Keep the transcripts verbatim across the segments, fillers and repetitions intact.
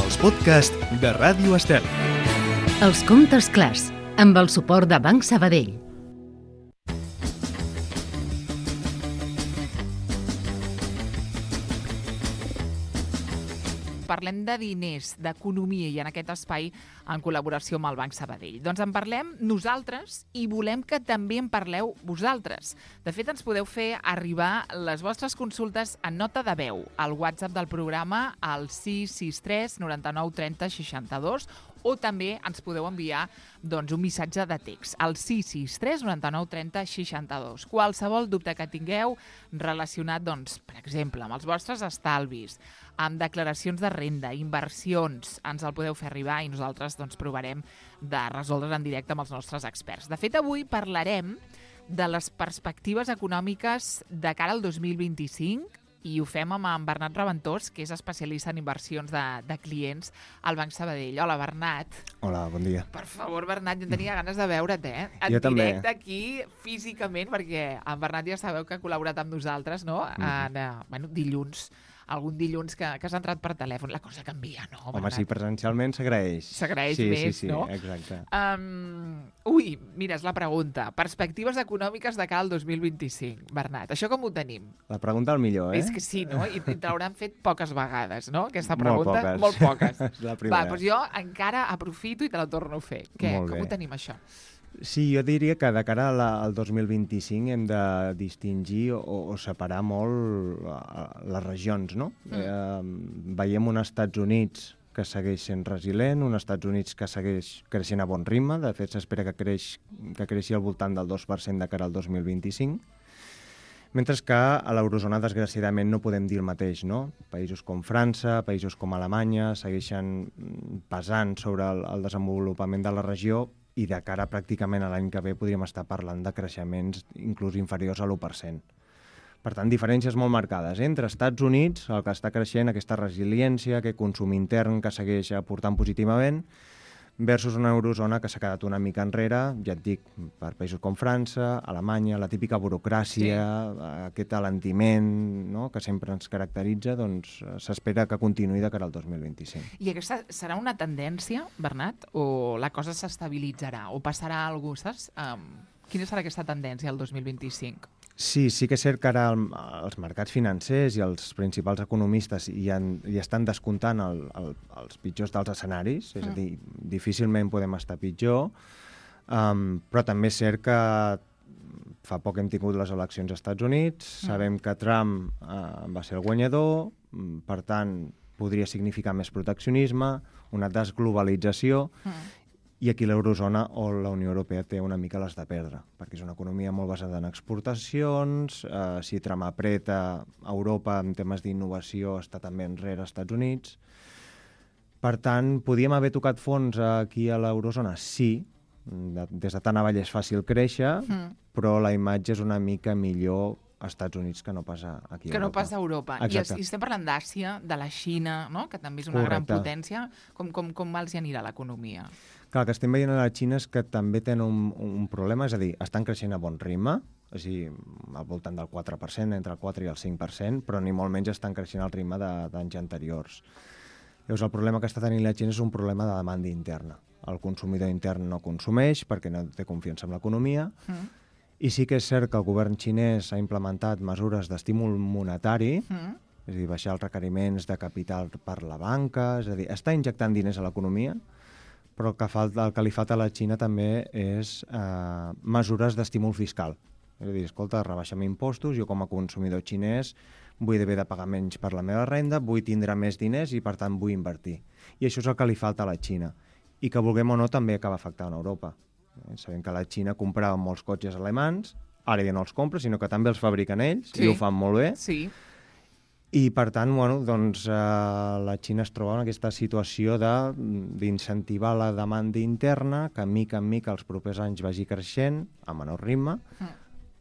els podcasts de Ràdio Estel. Els comptes clars, amb el suport de Banc Sabadell. Parlem de diners, d'economia i en aquest espai en col·laboració amb el Banc Sabadell. Doncs en parlem nosaltres i volem que també en parleu vosaltres. De fet, ens podeu fer arribar les vostres consultes en nota de veu al WhatsApp del programa al sis sis tres nou nou tres zero sis dos o també ens podeu enviar doncs, un missatge de text al sis sis tres nou nou tres zero sis dos. Qualsevol dubte que tingueu relacionat, doncs, per exemple, amb els vostres estalvis, amb declaracions de renda, inversions, ens el podeu fer arribar i nosaltres doncs, provarem de resoldre en directe amb els nostres experts. De fet, avui parlarem de les perspectives econòmiques de cara al dos mil vint-i-cinc i ho fem amb en Bernat Raventós, que és especialista en inversions de, de clients al Banc Sabadell. Hola, Bernat. Hola, bon dia. Per favor, Bernat, jo tenia ganes de veure't, eh? En jo directe també. aquí, físicament, perquè en Bernat ja sabeu que ha col·laborat amb nosaltres, no? Mm. En, uh, bueno, dilluns, algun dilluns que, que has entrat per telèfon. La cosa canvia, no, Bernat? Home, sí, presencialment s'agraeix. S'agraeix sí, més, sí, sí, no? Exacte. Um, ui, mira, és la pregunta. Perspectives econòmiques de cara al dos mil vint-i-cinc. Bernat, això com ho tenim? La pregunta al millor, eh? És que sí, no? I te l'hauran fet poques vegades, no? Aquesta Molt pregunta. poques. Molt poques. És la primera. Va, doncs jo encara aprofito i te la torno a fer. Què? Molt Com bé. ho tenim, això? Sí, jo diria que de cara a la, al dos mil vint-i-cinc hem de distingir o, o separar molt uh, les regions, no? Mm. Eh, veiem un Estats Units que segueix sent resilient, un Estats Units que segueix creixent a bon ritme, de fet s'espera que, creix, que creixi al voltant del dos per cent de cara al dos mil vint-i-cinc, mentre que a l'eurozona, desgraciadament, no podem dir el mateix, no? Països com França, països com Alemanya segueixen pesant sobre el, el desenvolupament de la regió i de cara pràcticament a l'any que ve podríem estar parlant de creixements inclús inferiors a l'u per cent. Per tant, diferències molt marcades eh? entre Estats Units, el que està creixent, aquesta resiliència, aquest consum intern que segueix aportant positivament, versus una eurozona que s'ha quedat una mica enrere, ja et dic, per països com França, Alemanya, la típica burocràcia, sí. aquest alentiment, no?, que sempre ens caracteritza, doncs s'espera que continuï de cara al dos mil vint-i-cinc. I aquesta serà una tendència, Bernat, o la cosa s'estabilitzarà, o passarà alguna cosa, saps? Um, quina serà aquesta tendència al dos mil vint-i-cinc? Sí, sí que és cert que ara el, els mercats financers i els principals economistes hi, han, hi estan descomptant el, el, els pitjors dels escenaris, és mm. a dir, difícilment podem estar pitjor, um, però també és cert que fa poc hem tingut les eleccions als Estats Units, mm. sabem que Trump uh, va ser el guanyador, per tant, podria significar més proteccionisme, una desglobalització, mm. i aquí l'eurozona o la Unió Europea té una mica les de perdre, perquè és una economia molt basada en exportacions, eh, si Trump apreta, Europa en temes d'innovació està també enrere als Estats Units. Per tant, podíem haver tocat fons aquí a l'eurozona? Sí, de, des de tan avall és fàcil créixer, mm. però la imatge és una mica millor als Estats Units que no passa aquí a que Europa. no passa a Europa. I, es, I estem parlant d'Àsia, de la Xina, no?, que també és una Correcte. gran potència. Com, com, com els hi anirà l'economia? Clar, el que estem veient a la Xina és que també tenen un, un problema, és a dir, estan creixent a bon ritme, és a dir, al voltant del quatre per cent, entre el quatre i el cinc per cent, però ni molt menys estan creixent al ritme d'anys anteriors. Llavors, el problema que està tenint la Xina és un problema de demanda interna. El consumidor intern no consumeix perquè no té confiança en l'economia, mm. i sí que és cert que el govern xinès ha implementat mesures d'estímul monetari, mm. és a dir, baixar els requeriments de capital per la banca, és a dir, està injectant diners a l'economia, però el que, falta, el que li falta a la Xina també és eh, mesures d'estímul fiscal. És a dir, escolta, rebaixem impostos, jo com a consumidor xinès vull haver de pagar menys per la meva renda, vull tindre més diners i, per tant, vull invertir. I això és el que li falta a la Xina. I que, vulguem o no, també acaba afectant Europa. Eh, sabem que la Xina comprava molts cotxes alemans, ara ja no els compra, sinó que també els fabriquen ells, sí. i ho fan molt bé. Sí. I, per tant, bueno, doncs, eh, la Xina es troba en aquesta situació d'incentivar la demanda interna, que mica en mica els propers anys vagi creixent, a menor ritme, mm.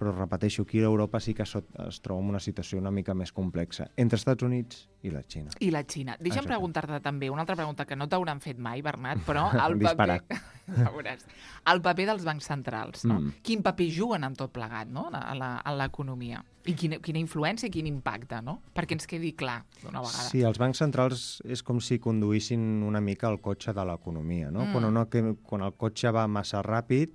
però, repeteixo, aquí a Europa sí que es, es troba en una situació una mica més complexa, entre Estats Units i la Xina. I la Xina. Deixa'm preguntar-te també una altra pregunta que no t'hauran fet mai, Bernat, però el paper, Ja veuràs. El paper dels bancs centrals, no? Mm. Quin paper juguen en tot plegat, no?, a la- a l'economia. I quina, quina influència i quin impacte, no? Perquè ens quedi clar d'una vegada. Sí, els bancs centrals és com si conduïssin una mica el cotxe de l'economia, no? Mm. Quan, una, que- quan el cotxe va massa ràpid,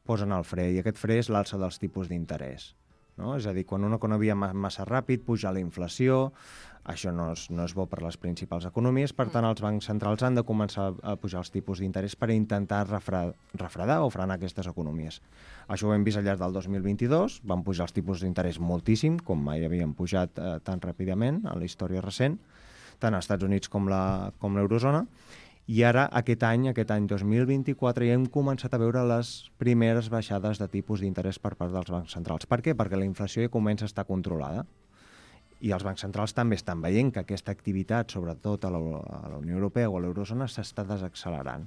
posen el fre, i aquest fre és l'alça dels tipus d'interès. No? És a dir, quan una economia va massa ràpid, puja la inflació, això no és, no és bo per les principals economies, per tant, els bancs centrals han de començar a pujar els tipus d'interès per intentar refre, refredar o frenar aquestes economies. Això ho hem vist al llarg del dos mil vint-i-dos, van pujar els tipus d'interès moltíssim, com mai havien pujat eh, tan ràpidament en la història recent, tant als Estats Units com la, com l'eurozona, i ara, aquest any, aquest any dos mil vint-i-quatre, ja hem començat a veure les primeres baixades de tipus d'interès per part dels bancs centrals. Per què? Perquè la inflació ja comença a estar controlada. I els bancs centrals també estan veient que aquesta activitat, sobretot a la, a la Unió Europea o a l'eurozona, s'està desaccelerant.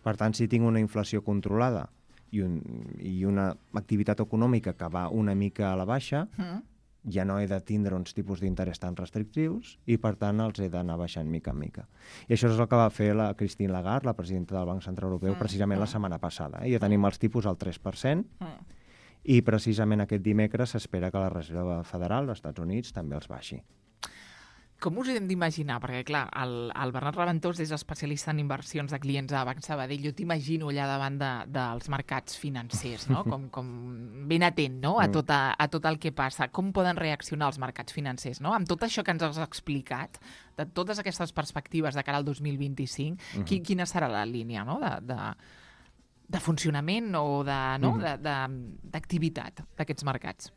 Per tant, si tinc una inflació controlada i, un, i una activitat econòmica que va una mica a la baixa, Mm. ja no he de tindre uns tipus d'interès tan restrictius i, per tant, els he d'anar baixant mica en mica. I això és el que va fer la Christine Lagarde, la presidenta del Banc Central Europeu, Mm, precisament la mm. setmana passada. Eh? Ja tenim els tipus al tres per cent Mm. i, precisament, aquest dimecres s'espera que la Reserva Federal dels Estats Units també els baixi. Com us ho hem d'imaginar? Perquè, clar, el, el Bernat Raventós és especialista en inversions de clients a Banc Sabadell. Jo t'imagino allà davant de, dels mercats financers, no? Com, com ben atent, no?, a tot, a, a tot el que passa. Com poden reaccionar els mercats financers, no? Amb tot això que ens has explicat, de totes aquestes perspectives de cara al dos mil vint-i-cinc, uh-huh. qui, quina serà la línia, no?, de, de, de funcionament o de, no? Mhm. de, de, d'activitat d'aquests mercats?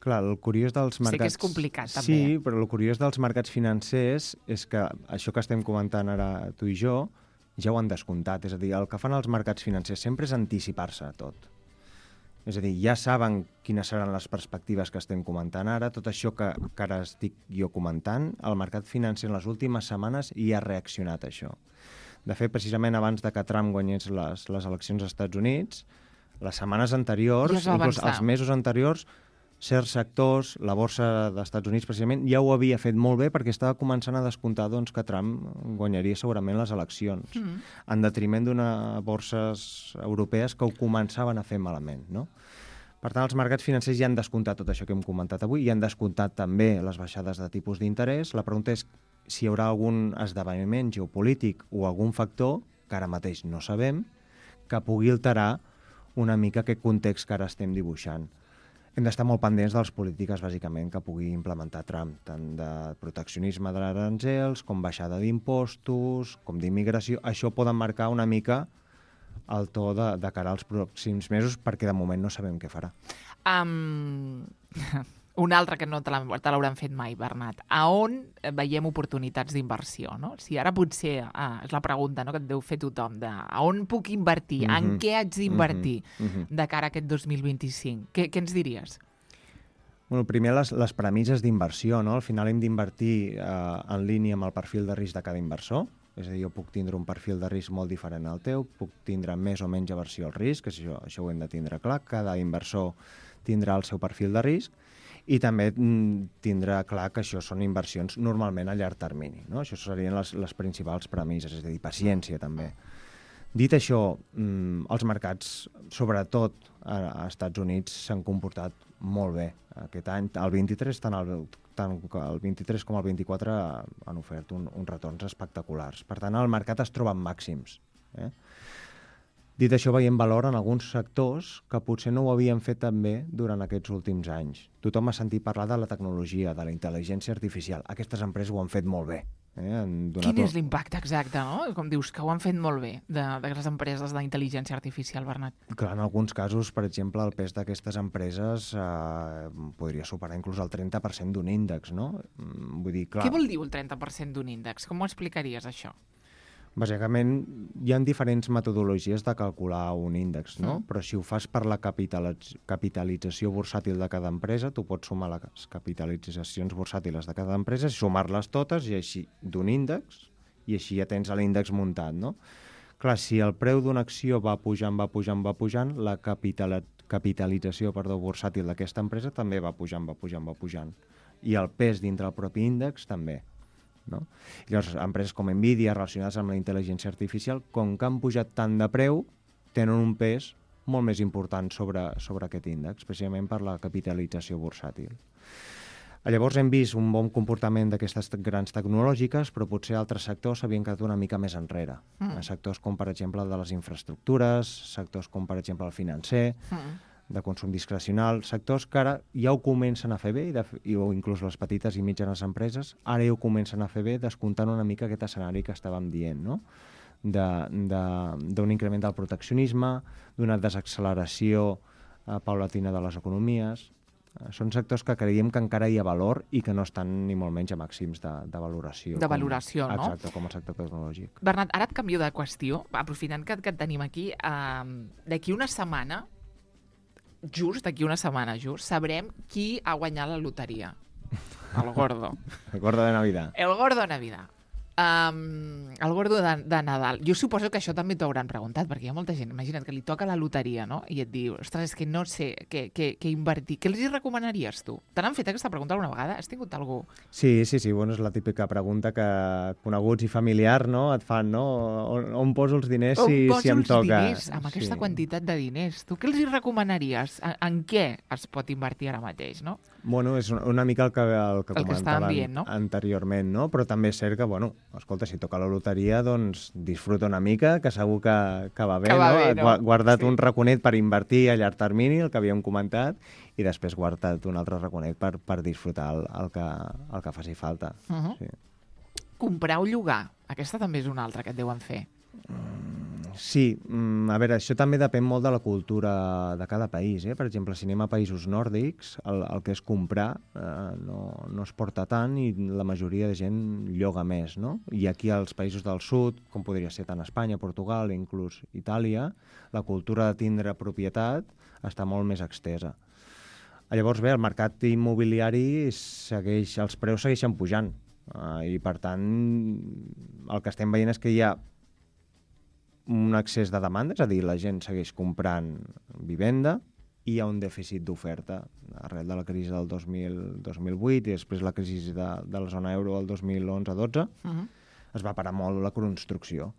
Clar, el curiós dels mercats... Sé que és complicat, també. Sí, però el curiós dels mercats financers és que això que estem comentant ara tu i jo ja ho han descomptat. És a dir, el que fan els mercats financers sempre és anticipar-se a tot. És a dir, ja saben quines seran les perspectives que estem comentant ara. Tot això que, que ara estic jo comentant, el mercat financer en les últimes setmanes hi ha reaccionat a això. De fet, precisament abans de que Trump guanyés les, les eleccions als Estats Units, les setmanes anteriors, Ja es va inclús avançar. els mesos anteriors, certs sectors, la borsa dels Estats Units precisament, ja ho havia fet molt bé perquè estava començant a descomptar doncs, que Trump guanyaria segurament les eleccions, Mm. en detriment d'unes borses europees que ho començaven a fer malament, no? Per tant, els mercats financers ja han descomptat tot això que hem comentat avui, i han descomptat també les baixades de tipus d'interès. La pregunta és si hi haurà algun esdeveniment geopolític o algun factor, que ara mateix no sabem, que pugui alterar una mica aquest context que ara estem dibuixant. Hem d'estar molt pendents de les polítiques, bàsicament, que pugui implementar Trump, tant de proteccionisme d'aranzels, com baixada d'impostos, com d'immigració. Això poden marcar una mica el to de, de cara als pròxims mesos, perquè de moment no sabem què farà. Um, un altre que no te l'ha- te l'hauran fet mai, Bernat. A on veiem oportunitats d'inversió? No? Si ara potser, ah, és la pregunta, no?, que et deu fer tothom, de a on puc invertir, Mhm. en què haig d'invertir Mhm, mhm. de cara a aquest dos mil vint-i-cinc? Què, què ens diries? Bueno, primer, les, les premisses d'inversió, no? Al final hem d'invertir eh, en línia amb el perfil de risc de cada inversor. És a dir, jo puc tindre un perfil de risc molt diferent al teu, puc tindre més o menys aversió al risc, això, això ho hem de tindre clar. Cada inversor tindrà el seu perfil de risc i també mm, tindrà clar que això són inversions normalment a llarg termini, no? Això serien les, les principals premisses, és a dir, paciència també. Dit això, mm, els mercats, sobretot a, a Estats Units, s'han comportat molt bé aquest any. El vint-i-tres, tant el, tant el vint-i-tres com el vint-i-quatre han ofert un, uns retorns espectaculars. Per tant, el mercat es troba en màxims. Eh? Dit això, veiem valor en alguns sectors que potser no ho havien fet tan bé durant aquests últims anys. Tothom ha sentit parlar de la tecnologia, de la intel·ligència artificial. Aquestes empreses ho han fet molt bé. Eh? Han donat Quin és un- l'impacte exacte, no? Com dius, que ho han fet molt bé, de, de les empreses d'intel·ligència artificial, Bernat. Clar, en alguns casos, per exemple, el pes d'aquestes empreses eh, podria superar inclús el trenta per cent d'un índex, no? Mm, Vull dir, clar, Què vol dir el trenta per cent d'un índex? Com ho explicaries, això? bàsicament hi ha diferents metodologies de calcular un índex, no? Mm. Però si ho fas per la capitalitz- capitalització bursàtil de cada empresa, tu pots sumar les capitalitzacions bursàtiles de cada empresa, sumar-les totes i així d'un índex, i així ja tens l'índex muntat, no? Clar, si el preu d'una acció va pujant, va pujant, va pujant, la capital capitalització perdó, bursàtil d'aquesta empresa també va pujant, va pujant, va pujant. I el pes dintre el propi índex també. no? I llavors, empreses com Nvidia, relacionades amb la intel·ligència artificial, com que han pujat tant de preu, tenen un pes molt més important sobre, sobre aquest índex, especialment per la capitalització bursàtil. Llavors hem vist un bon comportament d'aquestes grans tecnològiques, però potser altres sectors s'havien quedat una mica més enrere. Mm. Sectors com, per exemple, el de les infraestructures, sectors com, per exemple, el financer, mm. de consum discrecional, sectors que ara ja ho comencen a fer bé, i de, i, o inclús les petites i mitjanes empreses, ara ja ho comencen a fer bé, descomptant una mica aquest escenari que estàvem dient, no? d'un increment del proteccionisme, d'una desacceleració eh, paulatina de les economies. Són sectors que creiem que encara hi ha valor i que no estan ni molt menys a màxims de, de valoració. De valoració, com, no? Exacte, com el sector tecnològic. Bernat, ara et canvio de qüestió, aprofitant que, que et tenim aquí. Uh, d'aquí una setmana, just d'aquí una setmana, just, sabrem qui ha guanyat la loteria. El gordo. El gordo de Navidad. El gordo de Navidad. Um, el gordo de, de Nadal. Jo suposo que això també t'ho hauran preguntat, perquè hi ha molta gent, imagina't que li toca la loteria, no? I et diu, ostres, és que no sé què, què, què invertir. Què els hi recomanaries tu? Te n'han fet aquesta pregunta alguna vegada? Has tingut algú? Sí, sí, sí, bueno, és la típica pregunta que coneguts i familiar, no?, et fan, no? On, on poso els diners si, si em toca? On poso els diners amb aquesta sí. quantitat de diners? Tu què els hi recomanaries? En, en què es pot invertir ara mateix, no? Bueno, és una, una mica el que, el que el comentàvem que dient, no? anteriorment, no? Però també és cert que, bueno, escolta, si toca la loteria, doncs disfruta una mica, que segur que, que va bé, que va no? Bé, no? Guarda't sí. un raconet per invertir a llarg termini, el que havíem comentat, i després guarda't un altre raconet per, per disfrutar el, el, que, el que faci falta. Uh -huh. sí. Comprar o llogar, aquesta també és una altra que et deuen fer. Sí, a veure, això també depèn molt de la cultura de cada país. Eh? Per exemple, si anem a països nòrdics, el, el que és comprar eh, no, no es porta tant i la majoria de gent lloga més, no? I aquí als països del sud, com podria ser tant Espanya, Portugal, inclús Itàlia, la cultura de tindre propietat està molt més extesa. Llavors, bé, el mercat immobiliari segueix, els preus segueixen pujant eh, i, per tant, el que estem veient és que hi ha un excés de demanda, és a dir, la gent segueix comprant vivenda i hi ha un dèficit d'oferta arrel de la crisi del dos mil, dos mil vuit i després la crisi de, de la zona euro del dos mil onze dotze, uh-huh. es va parar molt la construcció.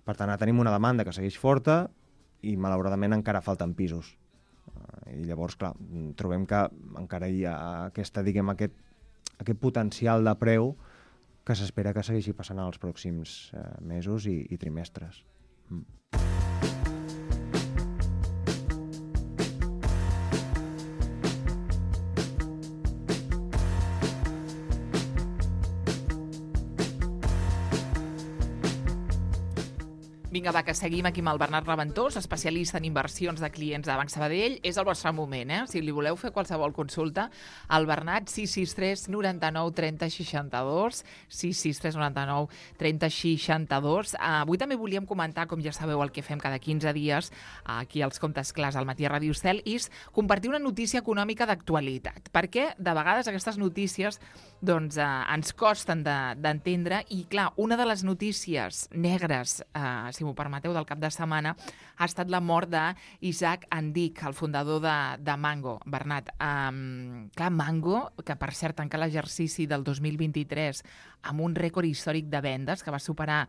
Per tant, ara tenim una demanda que segueix forta i, malauradament, encara falten pisos. I llavors, clar, trobem que encara hi ha aquesta, diguem, aquest, aquest potencial de preu que s'espera que segueixi passant els pròxims eh, mesos i, i trimestres. Mm. Vinga, va, que seguim aquí amb el Bernat Raventós, especialista en inversions de clients de Banc Sabadell. És el vostre moment, eh? Si li voleu fer qualsevol consulta, el Bernat, sis sis tres, noranta-nou, trenta, seixanta-dos, sis sis tres, noranta-nou, trenta, seixanta-dos. Uh, avui també volíem comentar, com ja sabeu, el que fem cada quinze dies, uh, aquí als Comptes Clars, al Matí a Ràdio Estel, és compartir una notícia econòmica d'actualitat. Perquè, de vegades, aquestes notícies doncs, uh, ens costen d'entendre de, i, clar, una de les notícies negres, uh, si m'ho permeteu, del cap de setmana, ha estat la mort d'Isaac Andic, el fundador de, de Mango. Bernat, um, clar, Mango, que per cert tanca l'exercici del dos mil vint-i-tres amb un rècord històric de vendes, que va superar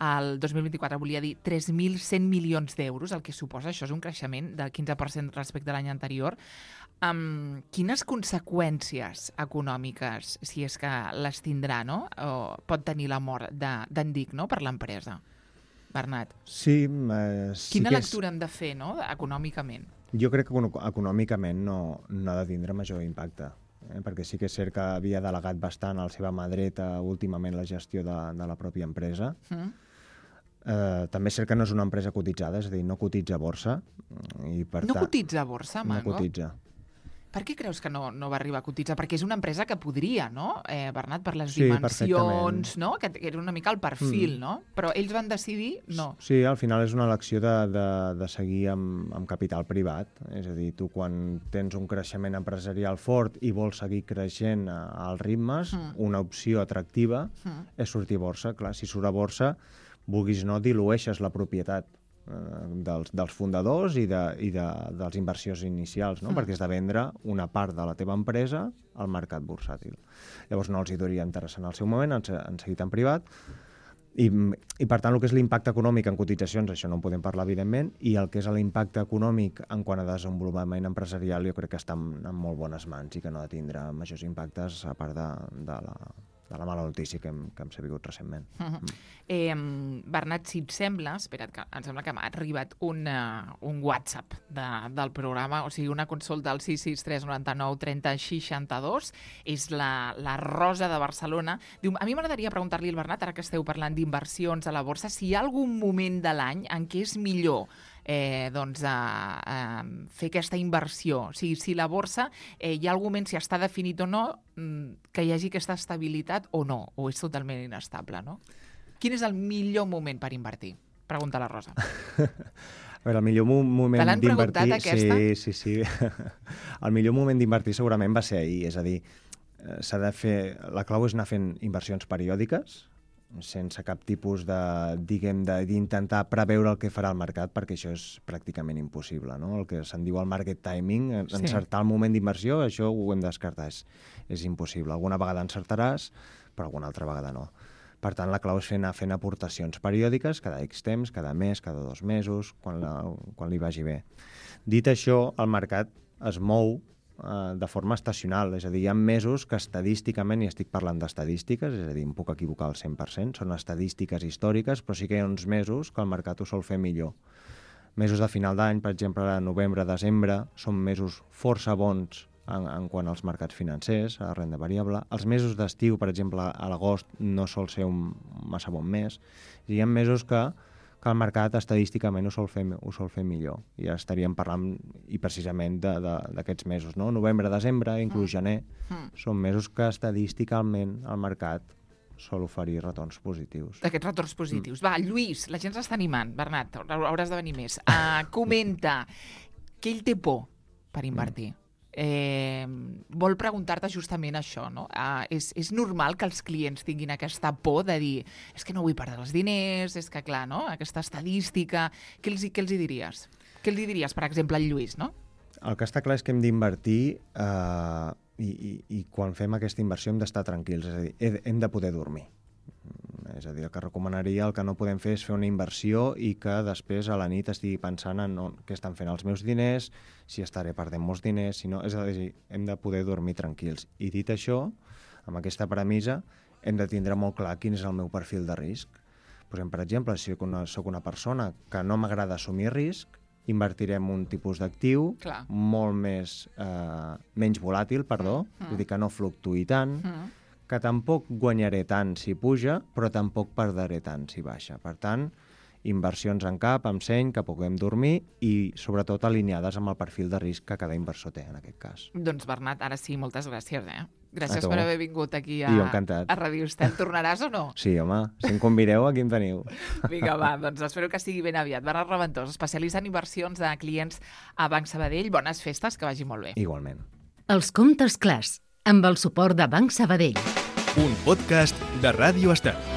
el dos mil vint-i-quatre, volia dir tres mil cent milions d'euros, el que suposa, això és un creixement del quinze per cent respecte a l'any anterior. Um, quines conseqüències econòmiques, si és que les tindrà, no? O pot tenir la mort d'Andic, no?, per l'empresa? Bernat. Sí, eh, sí Quina que lectura és... hem de fer, no?, econòmicament? Jo crec que econòmicament no, no ha de tindre major impacte, eh? perquè sí que és cert que havia delegat bastant a la seva mà dreta últimament la gestió de, de la pròpia empresa. Mm. Eh, també és cert que no és una empresa cotitzada, és a dir, no cotitza a borsa. I per no ta... cotitza a borsa, Mango? No cotitza. Per què creus que no, no va arribar a cotitzar? Perquè és una empresa que podria, no, eh, Bernat, per les sí, dimensions, no? Que era una mica el perfil, mm. no? Però ells van decidir no. Sí, al final és una elecció de, de, de seguir amb, amb capital privat. És a dir, tu quan tens un creixement empresarial fort i vols seguir creixent als ritmes, mm. una opció atractiva mm. és sortir a borsa. Clar, si surt a borsa, vulguis no, dilueixes la propietat dels, dels fundadors i, de, i de, dels inversions inicials, no? Mm. perquè és de vendre una part de la teva empresa al mercat bursàtil. Llavors no els hi duria interessant al seu moment, han, han seguit en privat, i, i per tant el que és l'impacte econòmic en cotitzacions, això no en podem parlar evidentment, i el que és l'impacte econòmic en quant a desenvolupament empresarial jo crec que està en, en molt bones mans i que no ha de tindre majors impactes a part de, de la... de la mala notícia que hem, que hem sabut recentment. Uh -huh. mm. eh, Bernat, si et sembla, espera't, que em sembla que m'ha arribat un, uh, un WhatsApp de, del programa, o sigui, una consulta al sis sis tres nou nou trenta seixanta-dos, és la, la Rosa de Barcelona. Diu, a mi m'agradaria preguntar-li al Bernat, ara que esteu parlant d'inversions a la borsa, si hi ha algun moment de l'any en què és millor Eh, doncs, a, a fer aquesta inversió. O sigui, si la borsa eh, hi ha algun moment, si està definit o no, que hi hagi aquesta estabilitat o no, o és totalment inestable, no? Quin és el millor moment per invertir? Pregunta la Rosa. A veure, el millor moment Te l'han d'invertir... preguntat, aquesta? Sí, sí, sí. El millor moment d'invertir segurament va ser ahir, és a dir, s'ha de fer... La clau és anar fent inversions periòdiques, sense cap tipus de, diguem, d'intentar preveure el que farà el mercat, perquè això és pràcticament impossible, no? El que se'n diu el market timing, encertar el moment d'inversió, això ho hem de descartar, és, és impossible. Alguna vegada encertaràs, però alguna altra vegada no. Per tant, la clau és fer, anar fent aportacions periòdiques, cada X temps, cada mes, cada dos mesos, quan, la, quan li vagi bé. Dit això, el mercat es mou de forma estacional, és a dir, hi ha mesos que estadísticament, i estic parlant d'estadístiques, és a dir, em puc equivocar al cent per cent, són estadístiques històriques, però sí que hi ha uns mesos que el mercat ho sol fer millor. Mesos de final d'any, per exemple, novembre, desembre, són mesos força bons en, en quant als mercats financers, a la renda variable. Els mesos d'estiu, per exemple, a l'agost, no sol ser un massa bon mes. Hi ha mesos que que el mercat estadísticament ho sol fer, ho sol fer millor. I ja estaríem parlant, i precisament, d'aquests mesos, no? Novembre, desembre, inclús mm. gener, mm. són mesos que estadísticament el mercat sol oferir retorns positius. D'aquests retorns positius. Mm. Va, Lluís, la gent s'està animant. Bernat, hauràs de venir més. Uh, comenta, que ell té por per invertir. Mm. Eh, vol preguntar-te justament això, no? Uh, és, és normal que els clients tinguin aquesta por de dir és que no vull perdre els diners, és que clar, no? Aquesta estadística, què els, què els hi diries? Què els hi diries, per exemple, al Lluís, no? El que està clar és que hem d'invertir eh, i, i, i quan fem aquesta inversió hem d'estar tranquils, és a dir, hem de poder dormir. És a dir, el que recomanaria, el que no podem fer és fer una inversió i que després a la nit estigui pensant en on, què estan fent els meus diners, si estaré perdent molts diners, si no... És a dir, hem de poder dormir tranquils. I dit això, amb aquesta premissa, hem de tindre molt clar quin és el meu perfil de risc. Posem, per exemple, si soc una persona que no m'agrada assumir risc, invertirem un tipus d'actiu molt més, eh, menys volàtil, perdó, mm. és a dir, que no fluctuï tant, mm. que tampoc guanyaré tant si puja, però tampoc perdré tant si baixa. Per tant, inversions en cap, amb seny, que puguem dormir i, sobretot, alineades amb el perfil de risc que cada inversor té, en aquest cas. Doncs, Bernat, ara sí, moltes gràcies, eh? Gràcies per haver vingut aquí a, a Ràdio Estel. Tornaràs o no? Sí, home, si em convideu, aquí em teniu. Vinga, va, doncs espero que sigui ben aviat. Bernat Raventós, especialista en inversions de clients a Banc Sabadell. Bones festes, que vagi molt bé. Igualment. Els comptes clars, amb el suport de Banc Sabadell. Un podcast de Ràdio Estel.